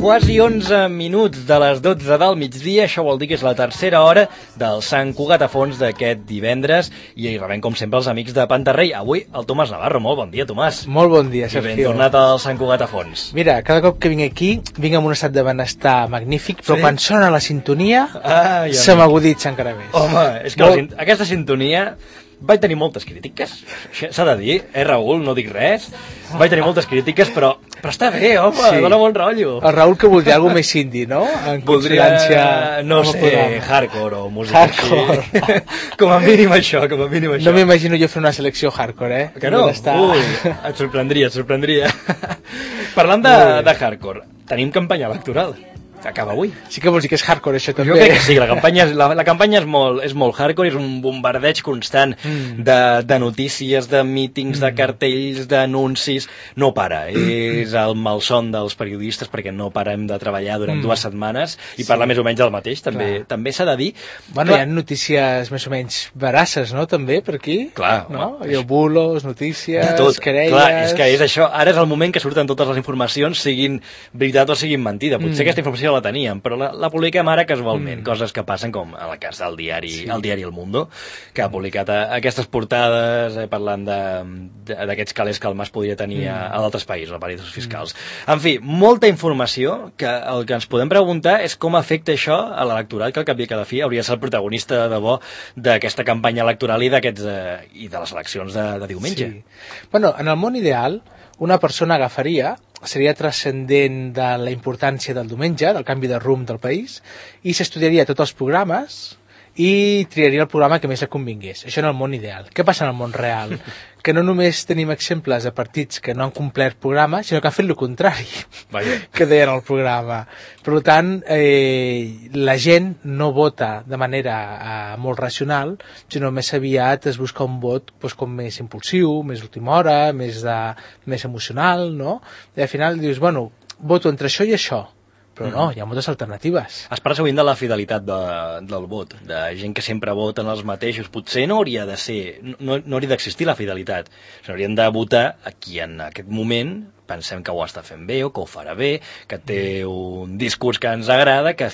Quasi 11 minuts de les 12 del migdia, això vol dir que és la tercera hora del Sant Cugat a fons d'aquest divendres i hi rebem com sempre els amics de Pantarrei. Avui el Tomàs Navarro, molt bon dia Tomàs. Molt bon dia, Sergio. I ben tornat al Sant Cugat a fons. Mira, cada cop que vinc aquí, vinc amb un estat de benestar magnífic, però quan sona la sintonia se m'aguditza encara més. Home, és que aquesta sintonia... Vaig tenir moltes crítiques, s'ha de dir, Raül, no dic res. Vaig tenir moltes crítiques, però està bé, home, sí. Dóna bon rotllo. El Raül que voldria alguna més indie, no? En consonància... No sé, hardcore o música hardcore. Com a mínim això, com a mínim això. No m'imagino jo fer una selecció hardcore, Que no? Ui, et sorprendria. Parlant de hardcore, tenim campanya electoral. Acaba avui. Sí que vols dir que és hardcore, això també. Jo crec que sí, la campanya és molt hardcore, és un bombardeig constant de notícies, de mítings, de cartells, d'anuncis. No para, és el malson dels periodistes perquè no parem de treballar durant 2 setmanes i parlar més o menys del mateix, també s'ha de dir. Bueno, hi ha notícies més o menys verasses, no?, també, per aquí. Clar. No? Hi ha bulos, notícies, querelles... Clar, és que és això. Ara és el moment que surten totes les informacions, siguin veritat o siguin mentida. Potser aquesta informació la teníem, però la publiquem ara casualment, coses que passen com en el cas del diari El Mundo, que ha publicat aquestes portades parlant d'aquests calés que el Mas podria tenir a d'altres països, a paradisos fiscals. En fi, molta informació que el que ens podem preguntar és com afecta això a l'electorat, que al cap i a cada fi hauria de ser el protagonista de debò d'aquesta campanya electoral i de les eleccions de diumenge. Sí. Bueno, en el món ideal, una persona seria transcendent de la importància del diumenge, del canvi de rumb del país, i s'estudiaria tots els programes i triaria el programa que més li convingués. Això en el món ideal. Què passa en el món real? Que no només tenim exemples de partits que no han complert programa, sinó que han fet el contrari que deien al programa. Per tant, la gent no vota de manera molt racional, sinó més aviat es busca un vot com més impulsiu, més última hora, més emocional, no? I al final dius, bueno, voto entre això i això. Però no, hi ha moltes alternatives. Es parla sovint de la fidelitat del vot, de gent que sempre voten els mateixos. Potser no hauria de ser, no hauria d'existir la fidelitat. Haurien de votar a qui en aquest moment pensem que ho està fent bé o que ho farà bé, que té un discurs que ens agrada, que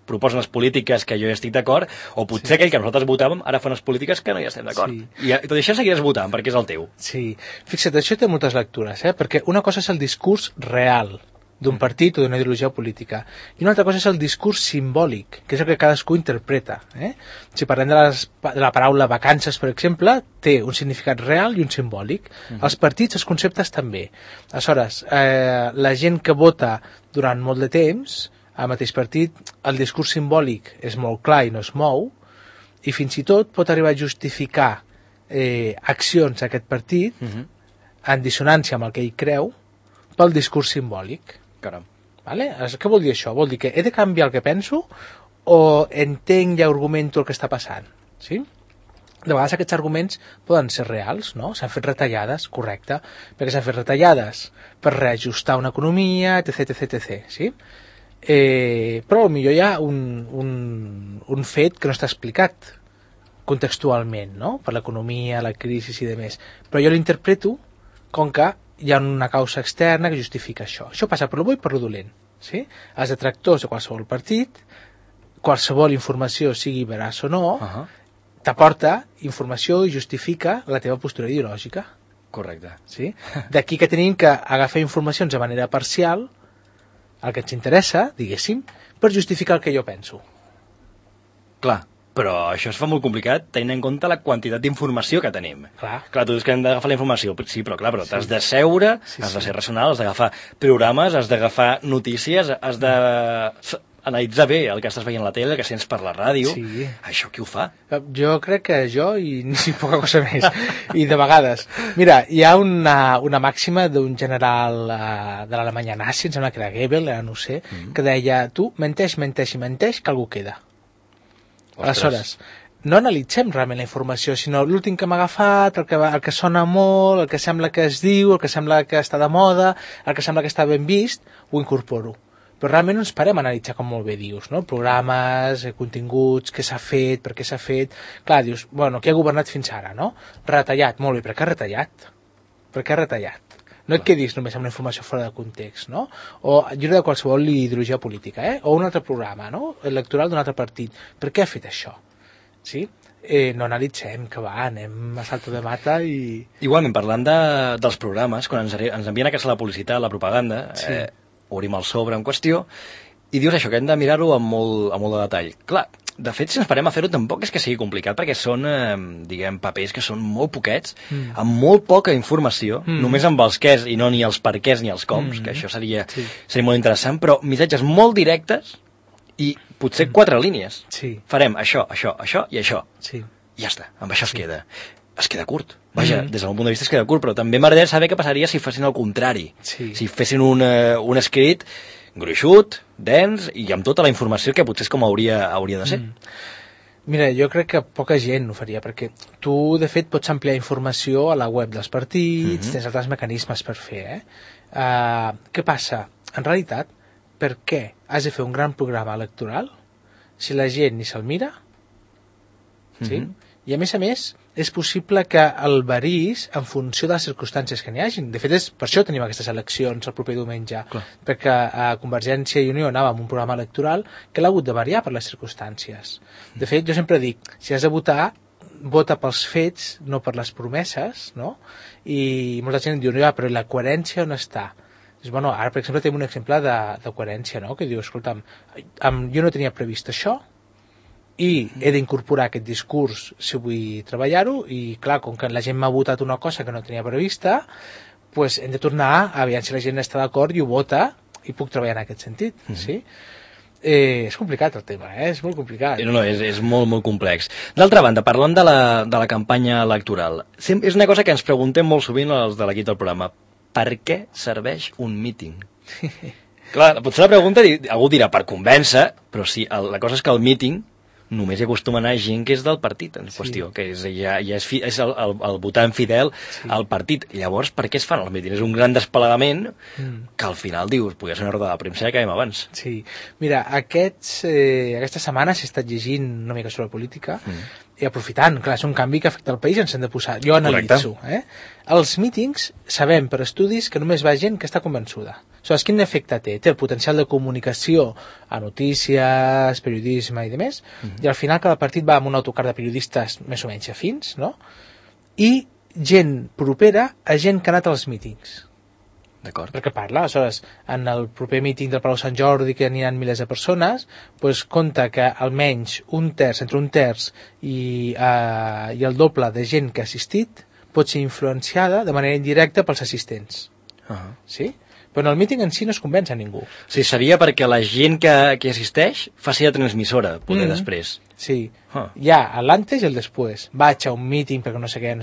proposa unes polítiques que jo hi estic d'acord, o potser aquell que nosaltres votàvem ara fa unes polítiques que no hi estem d'acord. I tot això seguiràs votant perquè és el teu. Sí, fixa't, això té moltes lectures, perquè una cosa és el discurs real d'un partit o d'una ideologia política. I una altra cosa és el discurs simbòlic, que és el que cadascú interpreta. Si parlem de la paraula vacances, per exemple, té un significat real i un simbòlic. Els partits, els conceptes també. Aleshores, la gent que vota durant molt de temps, al mateix partit, el discurs simbòlic és molt clar i no es mou, i fins i tot pot arribar a justificar accions d'aquest partit en dissonància amb el que ell creu pel discurs simbòlic. Caram. Vale? Què vol dir això? Vol dir que he de canviar el que penso o entenc i argumento el que està passant? Sí? De vegades aquests arguments poden ser reals, no? S'han fet retallades, correcte, perquè s'han fet retallades per reajustar una economia, etc. Sí? Però potser hi ha un fet que no està explicat contextualment, no? Per l'economia, la crisi i demés. Però jo l'interpreto com que hi ha una causa externa que justifica això. Això passa per lo bo i per lo dolent. Sí? Els detractors de qualsevol partit, qualsevol informació, sigui veraç o no, t'aporta informació i justifica la teva postura ideològica. Correcte. Sí? D'aquí que tenim que agafar informacions de manera parcial, el que ens interessa, diguéssim, per justificar el que jo penso. Clar. Però això es fa molt complicat tenint en compte la quantitat d'informació que tenim. Clar, tu dius que hem d'agafar la informació, sí, però clar, t'has de seure, has de ser racional, has d'agafar programes, has d'agafar notícies, has d'analitzar bé el que estàs veient a la tele, el que sents per la ràdio. Sí. Això qui ho fa? Jo crec que jo i poca cosa més. I de vegades. Mira, hi ha una màxima d'un general de l'Alemanya nazi, em sembla que era Goebbels, ara no ho sé, que deia, tu menteix, que algú queda. Aleshores, no analitzem realment la informació, sinó l'últim que m'ha agafat, el que sona molt, el que sembla que es diu, el que sembla que està de moda, el que sembla que està ben vist, ho incorporo. però realment no ens parem a analitzar, com molt bé dius, no? Programes, continguts, què s'ha fet, per què s'ha fet... Clar, dius, bueno, qui ha governat fins ara, no? Retallat, molt bé, per què ha retallat? Per què ha retallat? No et quedis només amb una informació fora de context, no? O lliure de qualsevol ideologia política, O un altre programa, no? Electoral d'un altre partit. Per què ha fet això? Sí? No analitzem, que va, anem a salto de mata i... Igualment, parlant dels programes, quan ens envien a casa la publicitat, la propaganda, obrim el sobre en qüestió, i dius això, que hem de mirar-ho amb molt de detall. Clar, de fet, si ens parem a fer-ho, tampoc és que sigui complicat, perquè són, diguem, papers que són molt poquets, amb molt poca informació, només amb els quès i no ni els perquès ni els coms, que això seria molt interessant, però missatges molt directes i potser 4 línies. Farem això, això, això i això. I ja està, amb això es queda. Es queda curt. Vaja, des del meu punt de vista es queda curt, però també m'agradaria saber què passaria si fessin el contrari. Si fessin un escrit gruixut, dens i amb tota la informació que potser és com hauria de ser. Mira, jo crec que poca gent ho faria, perquè tu, de fet, pots ampliar informació a la web dels partits, tens altres mecanismes per fer, Què passa? En realitat, per què has de fer un gran programa electoral si la gent ni se'l mira? Sí? I a més, és possible que el varis en funció de les circumstàncies que n'hi hagin. De fet, per això tenim aquestes eleccions el proper diumenge, perquè a Convergència i Unió anava amb un programa electoral que l'ha hagut de variar per les circumstàncies. De fet, jo sempre dic, si has de votar, vota pels fets, no per les promeses, no? I molta gent diu, però la coherència on està? Dius, bueno, ara, per exemple, tenim un exemple de coherència, no? Que diu, escolta'm, jo no tenia previst això i he d'incorporar aquest discurs si vull treballar-ho i, clar, com que la gent m'ha votat una cosa que no tenia prevista, doncs hem de tornar a veure si la gent està d'acord i ho vota i puc treballar en aquest sentit, sí? És complicat el tema, és molt complicat. No, és molt, molt complex. D'altra banda, parlant de la campanya electoral, és una cosa que ens preguntem molt sovint els de l'equip del programa. Per què serveix un míting? Clar, potser la pregunta, algú dirà per convèncer, però sí, la cosa és que el míting només hi acostuma a anar gent que és del partit en qüestió, que ja és el votant fidel al partit. Llavors, per què es fan els mítings? És un gran desplegament que al final dius, podria ser una roda de premsa que acabem abans. Sí, mira, aquesta setmana s'he estat llegint una mica sobre política i aprofitant, clar, és un canvi que afecta el país, ens hem de posar, jo analitzo. Els mítings sabem per estudis que només va gent que està convençuda. Aleshores, quin efecte té? Té el potencial de comunicació a notícies, periodisme i demés, i al final cada partit va amb un autocar de periodistes més o menys afins, no? I gent propera a gent que ha anat als mítings. D'acord. Perquè parla, aleshores, en el proper míting del Palau Sant Jordi, que n'hi ha milers de persones, doncs compta que almenys entre un terç i el doble de gent que ha assistit pot ser influenciada de manera indirecta pels assistents. Sí? Però en el míting en si no es convenç a ningú. Sí, seria perquè la gent que assisteix faci la transmissora, poder després. Sí, hi ha l'antes i el després. Vaig a un míting perquè no sé què,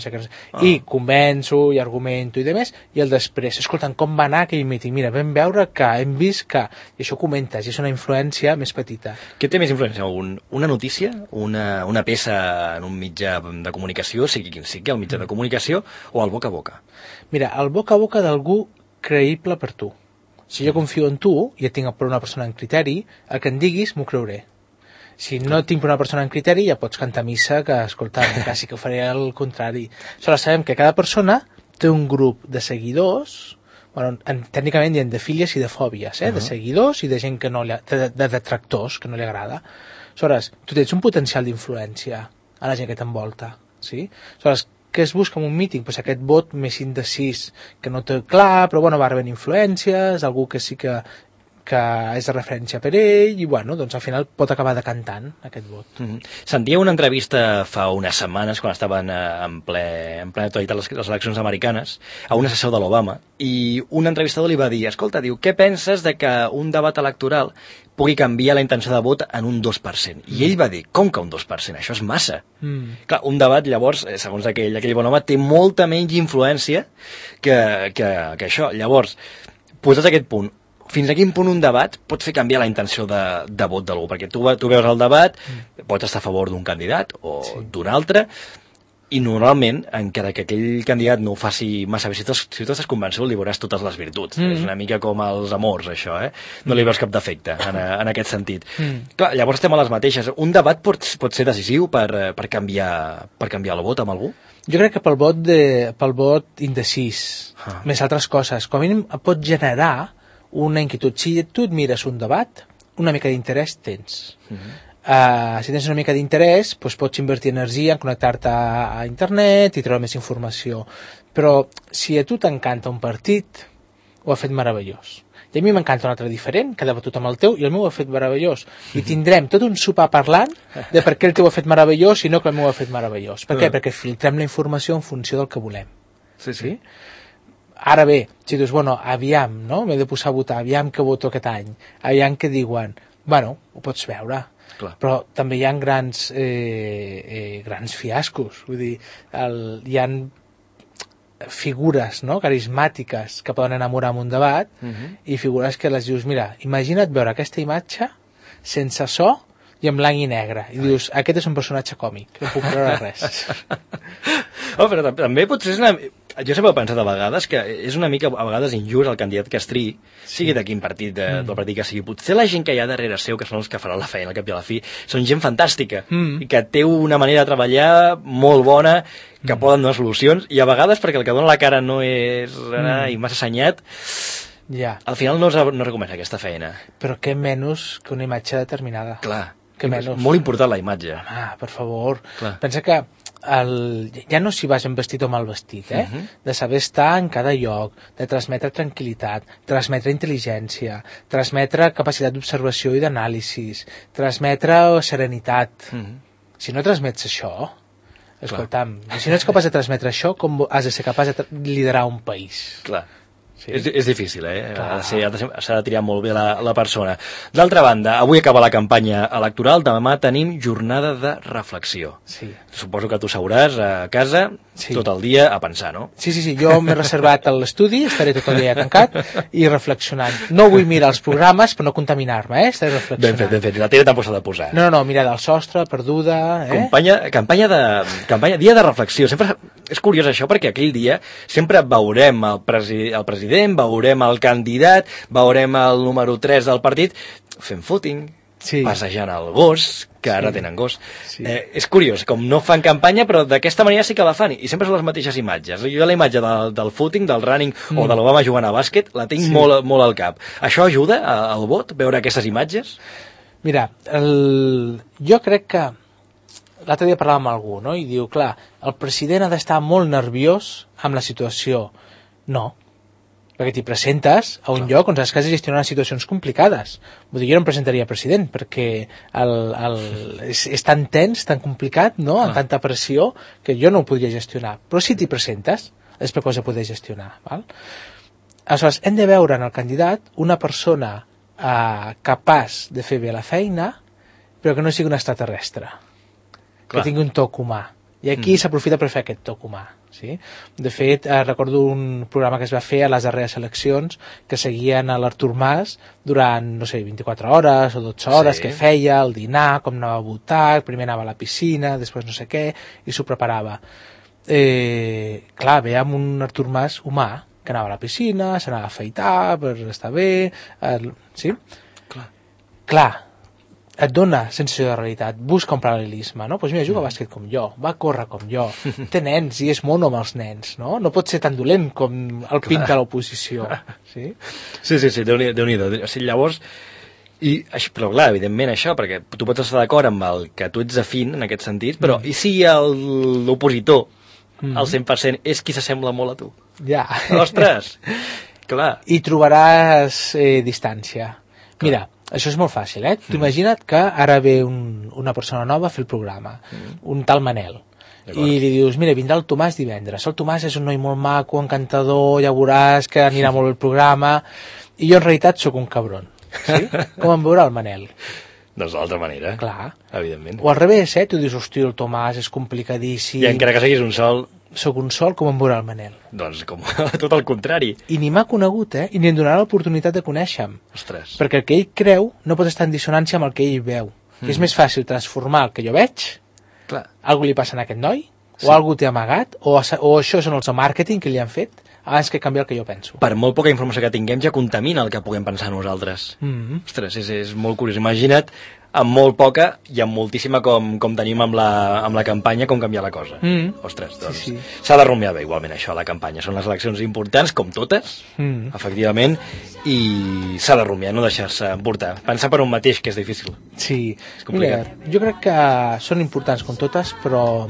i convenço i argumento i demés, i el després. Escolta'm, com va anar aquell míting? Mira, vam veure que, hem vist que... I això ho comentes, i és una influència més petita. Què té més influència? Una notícia? Una peça en un mitjà de comunicació, sigui quin sigui el mitjà de comunicació, o el boca a boca? Mira, el boca a boca d'algú creïble per tu. Si jo confio en tu i et tinc per una persona en criteri, el que em diguis m'ho creuré. Si no tinc per una persona en criteri, ja pots cantar missa que, escolta, quasi que ho faré al contrari. Aleshores, sabem que cada persona té un grup de seguidors, bueno, tècnicament hi ha de fílies i de fòbies, de seguidors i de gent que no li, de detractors que no li agrada. Aleshores, tu tens un potencial d'influència a la gent que t'envolta, sí? Aleshores, què es busca en un míting? Pues aquest vot més indecis, que no té clar, però bueno, va rebent influències, algú que sí que és de referència per ell, i bueno, doncs al final pot acabar decantant aquest vot. Sentia una entrevista fa unes setmanes, quan estaven en plena actualitat les eleccions americanes, a un assessor de l'Obama, i un entrevistador li va dir, escolta, diu, què penses de que un debat electoral pugui canviar la intenció de vot en un 2%? I ell va dir, com que un 2%? Això és massa. Clar, un debat, llavors, segons aquell bon home, té molta menys influència que això. Llavors, posats a aquest punt, fins a quin punt un debat pot fer canviar la intenció de vot d'algú? Perquè tu veus el debat, pots estar a favor d'un candidat o d'un altre, I normalment, encara que aquell candidat no ho faci massa bé, si tu estàs convençut, li veuràs totes les virtuts. És una mica com els amors, això, No li veus cap defecte en aquest sentit. Clar, llavors estem a les mateixes. Un debat pot ser decisiu per canviar el vot amb algú? Jo crec que pel vot indecís, més altres coses, com a mínim pot generar una inquietud. Si tu et mires un debat, una mica d'interès tens. Si tens una mica d'interès, doncs pots invertir energia en connectar-te a internet i treure més informació. Però si a tu t'encanta un partit, ho ha fet meravellós. I a mi m'encanta un altre diferent, que ha debatut amb el teu, i el meu ho ha fet meravellós. I tindrem tot un sopar parlant de per què el teu ho ha fet meravellós i no que el meu ho ha fet meravellós. Per què? Perquè filtrem la informació en funció del que volem. Sí. Ara bé, si dius, bueno, aviam, no? M'he de posar a votar, aviam què voto aquest any, aviam què diuen. Bueno, ho pots veure. Clar. Però també hi ha grans fiascos. Vull dir, hi ha figures, no?, carismàtiques que poden enamorar en un debat i figures que les dius, mira, imagina't veure aquesta imatge sense so i en blanc i negre. I dius, aquest és un personatge còmic, no puc creure res. Però també potser és una... Jo sempre he pensat a vegades que és una mica a vegades injust el candidat que es triï, sigui de quin partit, del partit que sigui. Potser la gent que hi ha darrere seu, que són els que faran la feina al cap i a la fi, són gent fantàstica, i que té una manera de treballar molt bona, que poden donar solucions, i a vegades perquè el que dona la cara no és i massa assenyat, al final no es recomana aquesta feina. Però què menys que una imatge determinada. Clar, és molt important la imatge. Home, per favor. Clar. Pensa que ja no si vas en vestit o mal vestit, de saber estar en cada lloc, de transmetre tranquil·litat, transmetre intel·ligència, transmetre capacitat d'observació i d'anàlisis, transmetre serenitat. Si no transmets això, escolta'm, si no ets capaç de transmetre això, com has de ser capaç de liderar un país? Clar. Sí. És difícil, s'ha de triar molt bé la persona. D'altra banda, avui acaba la campanya electoral, demà tenim jornada de reflexió. Sí. Suposo que tu seuràs a casa tot el dia a pensar, no? Sí, jo m'he reservat a l'estudi, estaré tot el dia tancat i reflexionant. No vull mirar els programes per no contaminar-me, estaré reflexionant. Ben fet, la tele tampoc s'ha de posar. No, mira del sostre, perduda... Dia de reflexió. Sempre és curiós això, perquè aquell dia sempre veurem el president, veurem el candidat, veurem el número 3 del partit fent footing, passejant el gos, que ara tenen gos. És curiós, com no fan campanya, però d'aquesta manera sí que la fan, i sempre són les mateixes imatges. Jo la imatge del footing, del running o de l'Obama jugant a bàsquet, la tinc molt al cap. Això ajuda al vot, veure aquestes imatges? Mira, jo crec que l'altre dia parlàvem amb algú, no? I diu, clar, el president ha d'estar molt nerviós amb la situació. No, perquè t'hi presentes a un lloc on has de gestionar situacions complicades. Vull dir, jo no em presentaria president, perquè és tan tens, tan complicat, no?, amb tanta pressió, que jo no ho podria gestionar. Però si t'hi presentes, és perquè ho has de poder gestionar. Val? Aleshores, hem de veure en el candidat una persona capaç de fer bé la feina, però que no sigui un extraterrestre. Que tingui un toc humà. I aquí s'aprofita per fer aquest toc humà. Sí? De fet, recordo un programa que es va fer a les darreres eleccions que seguien a l'Artur Mas durant, no sé, 24 hores o 12 hores, que feia, el dinar, com anava a votar, primer anava a la piscina, després no sé què, i s'ho preparava. Clar, veiem un Artur Mas humà, que anava a la piscina, s'anava a afaitar per estar bé, sí? Clar, et dona sensació de realitat, busca un paral·lelisme, no? Doncs mira, juga a bàsquet com jo, va córrer com jo, té nens i és mono amb els nens, no? No pot ser tan dolent com el pinta l'oposició. Sí, Déu-n'hi-do. O sigui, llavors, però clar, evidentment això, perquè tu pots estar d'acord amb el que tu ets afín en aquest sentit, però i si l'opositor al 100% és qui s'assembla molt a tu? Ja. Ostres, clar. I trobaràs distància. Mira, això és molt fàcil, Tu imagina't que ara ve una persona nova a fer el programa, un tal Manel, i li dius, mira, vindrà el Tomàs divendres. El Tomàs és un noi molt maco, encantador, ja veuràs que anirà molt bé el programa, i jo en realitat sóc un cabron. Sí? Com em veurà el Manel? Doncs d'altra manera, clar, evidentment. O al revés, tu dius, hosti, el Tomàs és complicadíssim. I encara que siguis un sol... Soc un sol, com em veurà el Manel? Doncs com tot el contrari. I ni m'ha conegut, i ni em donarà l'oportunitat de conèixer-me. Ostres. Perquè el que ell creu no pot estar en dissonància amb el que ell veu. És més fàcil transformar el que jo veig, algú li passa a aquest noi, o algú té amagat, o això són els de màrqueting que li han fet, abans que canviar el que jo penso. Per molt poca informació que tinguem ja contamina el que puguem pensar nosaltres. Ostres, és molt curiós. Imagina't amb molt poca i amb moltíssima com tenim amb la campanya, com canviar la cosa. Ostres, doncs Sí. s'ha de rumiar bé igualment això, la campanya. Són les eleccions importants, com totes, efectivament, i s'ha de rumiar, no deixar-se emportar. Pensar per un mateix, que és difícil. Sí, complicat. mira, jo crec que són importants com totes, però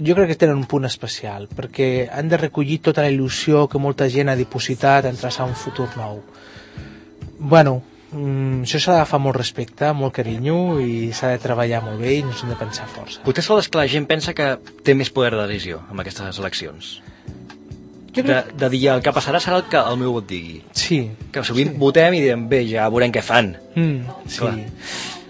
jo crec que tenen un punt especial, perquè han de recollir tota la il·lusió que molta gent ha dipositat en traçar un futur nou. Bueno, això s'ha d'agafar molt respecte, molt carinyo, i s'ha de treballar molt bé i no s'han de pensar força. Potser sols que la gent pensa que té més poder de decisió amb aquestes eleccions. Jo crec... De dir el que passarà serà el que el meu vot digui. Sí. Que sovint votem i diem, bé, ja veurem què fan. Sí. Clar.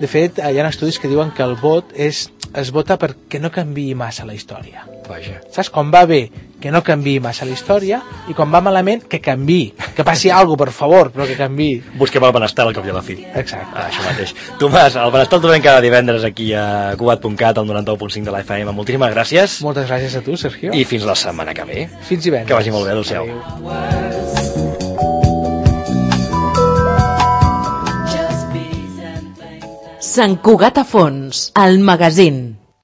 De fet, hi ha estudis que diuen que el vot es vota perquè no canviï massa la història. Vaja. Saps? Quan va bé, que no canviï massa la història, i quan va malament, que canviï. Que passi alguna cosa, per favor, però que canviï. Busquem el benestar al cap i a la fi. Exacte. Això mateix. Tomàs, el benestar el trobem cada divendres aquí a Cugat.cat, al 91.5 de la FM. Moltíssimes gràcies. Moltes gràcies a tu, Sergio. I fins la setmana que ve. Fins divendres. Que vagi molt bé, adéu-siau. Sant Cugat a Fons, el magazín.